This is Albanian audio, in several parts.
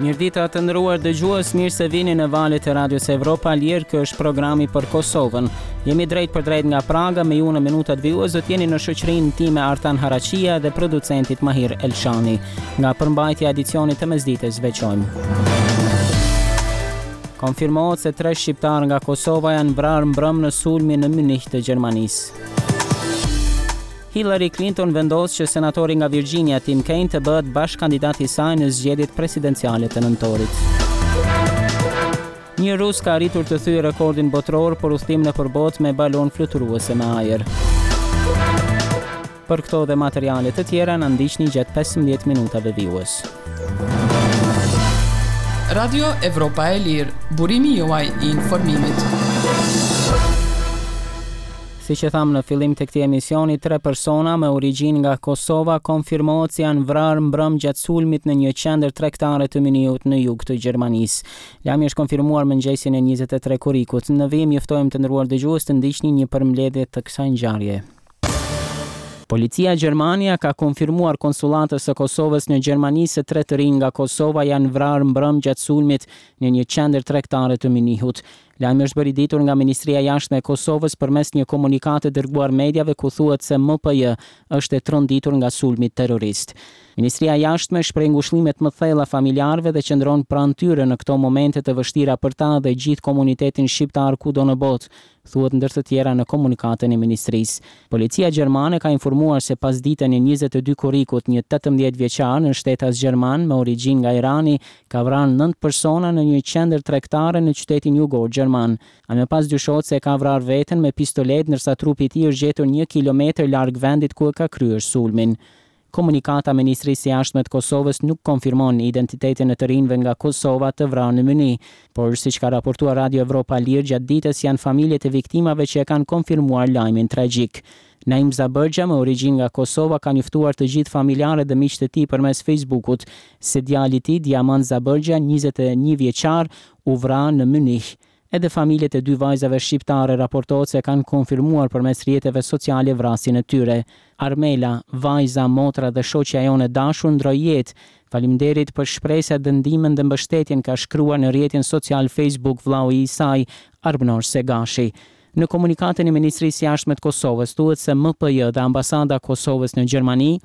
Mirëdita të nderuar dëgjues, mirë se vini në valët e Radios Evropa e Lirë, ky është programi për Kosovën. Jemi drejtpërdrejt nga Praga, me ju në minutat vijues do të jeni në shoqërinë time Artan Haraqija dhe producentit Mahir Elshani. Nga përmbajtja e edicionit të mesditës veçojmë. Konfirmohet se tre shqiptarë nga Kosova janë vrarë mbrëmë në sulmin në Mynih të Gjermanisë. Hillary Clinton vendos që senatori nga Virginia Tim Kaine të bëhet bashkëkandidat i saj në zgjedhjet presidenciale të nëntorit. Një rus ka arritur të thyejë rekordin botëror për udhëtim nëpër botë me balonë fluturuese me ajër. Për këto dhe materiale të tjera na ndiqni gjatë 15 minutave vijues. Radio Evropa e Lirë, burimi juaj i informimit. Siç e thamë në fillim të këtij emisioni, tre persona me origjinë nga Kosova konfirmohet se janë vrarë mbrëmë gjatë sulmit në një qendër tregtare të Mynihut në jug të Gjermanisë. Lajmi është konfirmuar mëngjesin e 23 korrikut. Në vijim ju ftojmë të nderuar dëgjues të ndiqni një përmbledhje të kësaj ngjarjeje. Policia gjermane ia ka konfirmuar konsullatës së Kosovës në Gjermani se tre të rinj nga Kosova janë vrarë mbrëmë gjatë sulmit në një qendër tregtare të Mynihut. Lajmi është bërë i ditur nga Ministria e Jashtme e Kosovës përmes një komunikate dërguar mediave ku thuhet se MPJ është e tronditur nga sulmi terrorist. Ministria e Jashtme shpreh ngushëllimet më të thella familjarëve dhe qëndron pranë tyre në këto momente të vështira për ta dhe gjithë komunitetin shqiptar kudo në botë, thuhet ndër të tjera në komunikatën e ministrisë. Policia gjermane ka informuar se pasditen e 22 korrikut një 18 vjeçar nënshtetas gjerman me origjinë nga Irani ka vrarë nëntë persona në një qendër tregtare në qytetin jugor gjerman. Ai më pas dyshohet se e ka vrarë veten me pistoletë ndërsa trupi i tij është gjetur një kilometër larg vendit ku e ka kryer sulmin. Komunikata e Ministrisë së Jashtme të Kosovës nuk konfirmon identitetin e të rinjve nga Kosova të vrarë në Mynih, por siç ka raportuar Radio Evropa e Lirë gjatë ditës janë familjet e viktimave që e kanë konfirmuar lajmin tragjik. Naim Zabërgja me origjinë nga Kosova ka njoftuar të gjithë familjarët dhe miqtë e tij përmes Facebookut se djali i tij, Diamant Zabërgja, 21 vjeçar, u vra në Mynih. Edhe familjet e dy vajzave shqiptare raportohet se kanë konfirmuar përmes rrjeteve sociale vrasjen e tyre. Armela, vajza, motra dhe shoqja jonë e dashur ndroi jetë. Faleminderit për shpresat dhe ndihmën dhe mbështetjen, ka shkruar në rrjetin social Facebook vllau i saj, Arbnor Segashi. Në komunikatën e Ministrisë së Jashtme të Kosovës thuhet se MPJ dhe Ambasada e Kosovës në Gjermani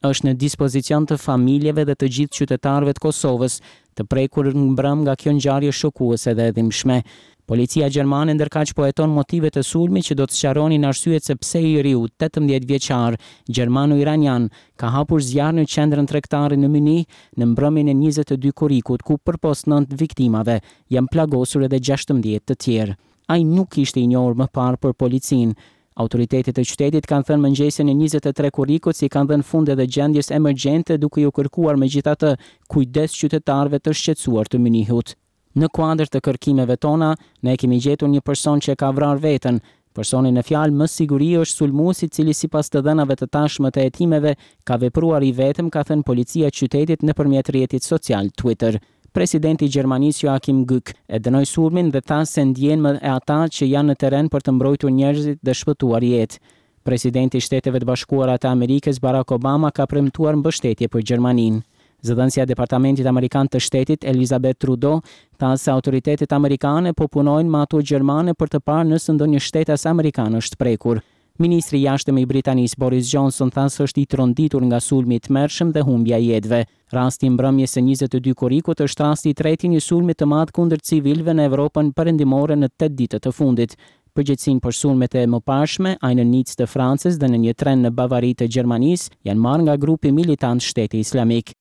është në dispozicion të familjeve dhe të gjithë qytetarëve të Kosovës të prekur mbrëmë nga kjo ngjarje shokuese dhe e dhimbshme. Policia gjermane ndërkaq po heton motivet e sulmit që do të sqaronin arsyet se pse i riu 18 vjeçar gjermano-iranian ka hapur zjarr në qendrën tregtare në Mynih në mbrëmjen e 22 korrikut ku përpos nëntë viktimave janë plagosur edhe 16 të tjerë. Ai nuk ishte i njohur më parë për policinë. Autoritetet e qytetit kanë thënë mëngjesin e 23 korrikut se i kanë dhënë fund edhe gjendjes emergjente duke iu kërkuar megjithatë kujdes qytetarëve të shqetësuar të Mynihut. Në kuadër të kërkimeve tona, ne kemi gjetur një person që e ka vrarë veten. Personi në fjalë me siguri është sulmuesi i cili sipas të dhënave të tashme të hetimeve ka vepruar i vetëm, ka thënë policia e qytetit nëpërmjet rrjetit social Twitter. Presidenti i Gjermanisë Joachim Gauck e dënoi sulmin dhe tha se ndjen me ata që janë në terren për të mbrojtur njerëzit dhe shpëtuar jetë. Presidenti i Shteteve të Bashkuara të Amerikës Barack Obama ka premtuar mbështetje për Gjermaninë. Zëdhënësja e Departamentit Amerikan të Shtetit, Elizabeth Trudeau, tha se autoritetet amerikane po punojnë me ato gjermane për të parë nëse ndonjë shtetas amerikan është prekur. Ministri i Jashtëm i Britanisë, Boris Johnson, tha se është i tronditur nga sulmi i tmerrshëm dhe humbja e jetëve. Rasti i mbrëmjes së 22 korrikut është rasti i tretë i një sulmi të madh kundër civilëve në Evropën Perëndimore në tetë ditët e fundit. Përgjegjësinë për sulmet e mëparshme, ai në Nicë të Francës dhe në një tren në Bavari të Gjermanisë, janë marrë nga grupi militant Shteti Islamik.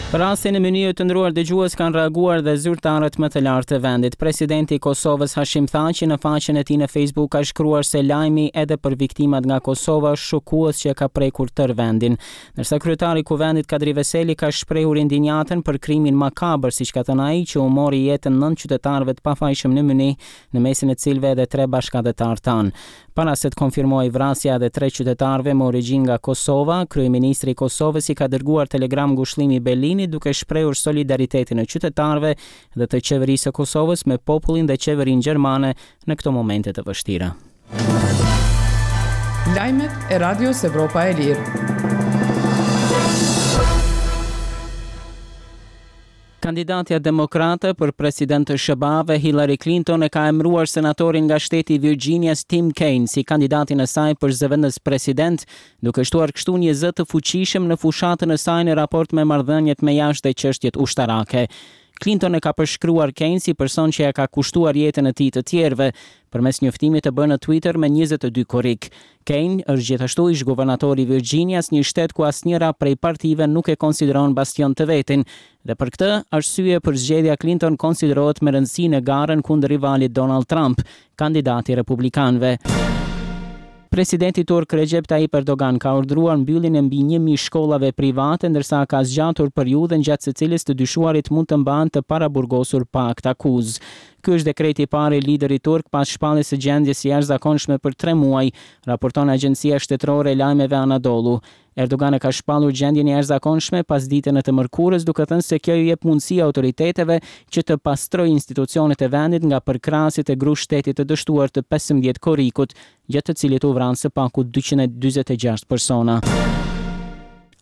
Për rastin e Mynihut të nderuar dëgjues kanë reaguar dhe zyrtarët më të lartë të vendit. Presidenti i Kosovës Hashim Thaçi në faqen e tij në Facebook ka shkruar se lajmi edhe për viktimat nga Kosova është shokues që e ka prekur tërë vendin. Ndërsa kryetari i Kuvendit Kadri Veseli ka shprehur indinjatën për krimin makabër, siç ka thënë ai, që u mori jetën nëntë qytetarëve të pafajshëm në Mynih, në mesin e cilëve edhe tre bashkatdhetarë tanë. Para se të konfirmohej vrasja e tre qytetarëve me origjinë nga Kosova, kryeministri i Kosovës i ka dërguar telegram ngushëllimi Berlinit duke shprehur solidaritetin e qytetarëve dhe të qeverisë së Kosovës me popullin dhe qeverinë gjermane në këto momente të vështira. Lajmet e Radios Evropa e Lirë. Kandidatja demokrate për president të SHBA-ve, Hillary Clinton e ka emëruar senatorin nga shteti i Virginias, Tim Kaine, si kandidatin e saj për zëvendëspresident, duke shtuar kështu një zë të fuqishëm në fushatën e saj në raport me marrëdhëniet me jashtë dhe çështjet ushtarake. Clinton e ka përshkruar Kaine si person që ia ka kushtuar jetën e tij të tjerëve, përmes njoftimit të bërë në Twitter me 22 korrik. Kaine është gjithashtu ish-guvernator i Virginias, një shtet ku asnjëra prej partive nuk e konsideron bastion të vetin, dhe për këtë arsye përzgjedhja Clinton konsiderohet me rëndësi në garën kundër rivalit Donald Trump, kandidati i republikanëve. Presidenti turk Recep Tayyip Erdogan ka urdhëruar mbylljen e mbi 1000 shkollave private, ndërsa ka zgjatur periudhën gjatë së cilës të dyshuarit mund të mbahen të paraburgosur pa aktakuzë. Ky është dekreti i parë i liderit turk pas shpalljes së gjendjes së jashtëzakonshme për tre muaj, raporton agjencia shtetërore e lajmeve Anadolu. Erdogan e ka shpallur gjendjen e jashtëzakonshme pasditen e të mërkurës, duke thënë se kjo ju jep mundësi autoriteteve që të pastrojë institucionet e vendit nga përkrahësit e grusht shtetit të dështuar të 15 korrikut, gjatë të cilit u vranë së paku 246 persona.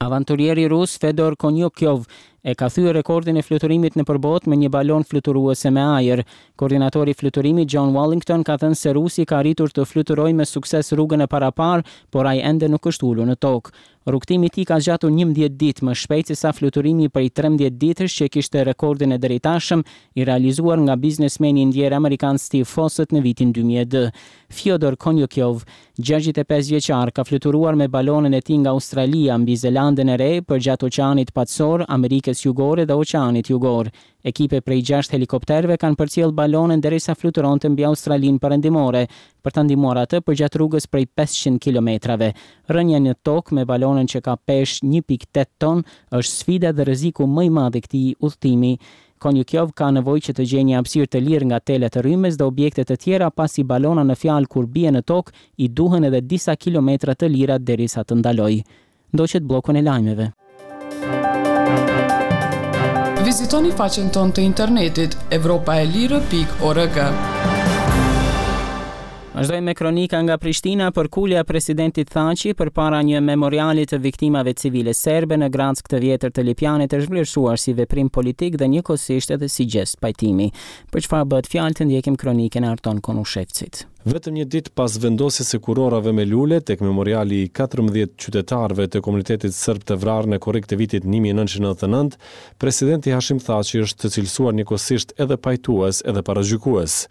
Avanturieri rus Fedor Konyukhov e ka thyer rekordin e fluturimit nëpër botë me një balonë fluturuese me ajër. Koordinatori i fluturimit John Wallington ka thënë se rusi ka arritur të fluturojë me sukses rrugën e paraparë, por ai ende nuk është ulur në tokë. Rrugëtimi i tij ka zgjatur 11 ditë, më shpejt se sa fluturimi prej 13 ditësh që kishte rekordin e deritashëm, i realizuar nga biznesmeni i ndjerë amerikan Steve Fossett në vitin 2002. Fyodor Konyukhov, 65 vjeçar, ka fluturuar me balonën e tij nga Australia mbi Zelandën e Re, përgjatë Oqeanit Paqësor, Amerikës Jugore dhe Oqeanit Jugor. Ekipe prej gjashtë helikopterëve kanë përcjellë balonën derisa fluturonte mbi Australinë Perëndimore, për ta ndihmuar atë përgjatë rrugës prej 500 kilometrave. Rënia në tokë me balonën që ka peshë 1.8 ton është sfida dhe rreziku më i madh i këtij udhëtimi. Konyukhov ka nevojë që të gjejë një hapësirë të lirë nga telat e rrymës dhe objekte të tjera pasi balona në fjalë kur bie në tokë i duhen edhe disa kilometra të lira derisa të ndalojë. Ndoqët bllokun e lajmeve. Vizitoni faqen tonë të internetit evropaelire.org. Vazhdojmë me kronika nga Prishtina përkulja e presidentit Thaçi përpara një memoriali të viktimave civile serbe në Grackë të Vjetër të Lipjanit është vlerësuar si veprim politik dhe njëkohësisht edhe si gjest pajtimi. Për çfarë bëhet fjalë të ndjekim kronikën e Arton Konushevcit. Vetëm një ditë pas vendosjes së kurorave me lule tek memoriali i 14 qytetarëve të komunitetit serb të vrarë në korrik të vitit 1999, presidenti Hashim Thaçi është cilësuar njëkohësisht edhe pajtues edhe paragjykues.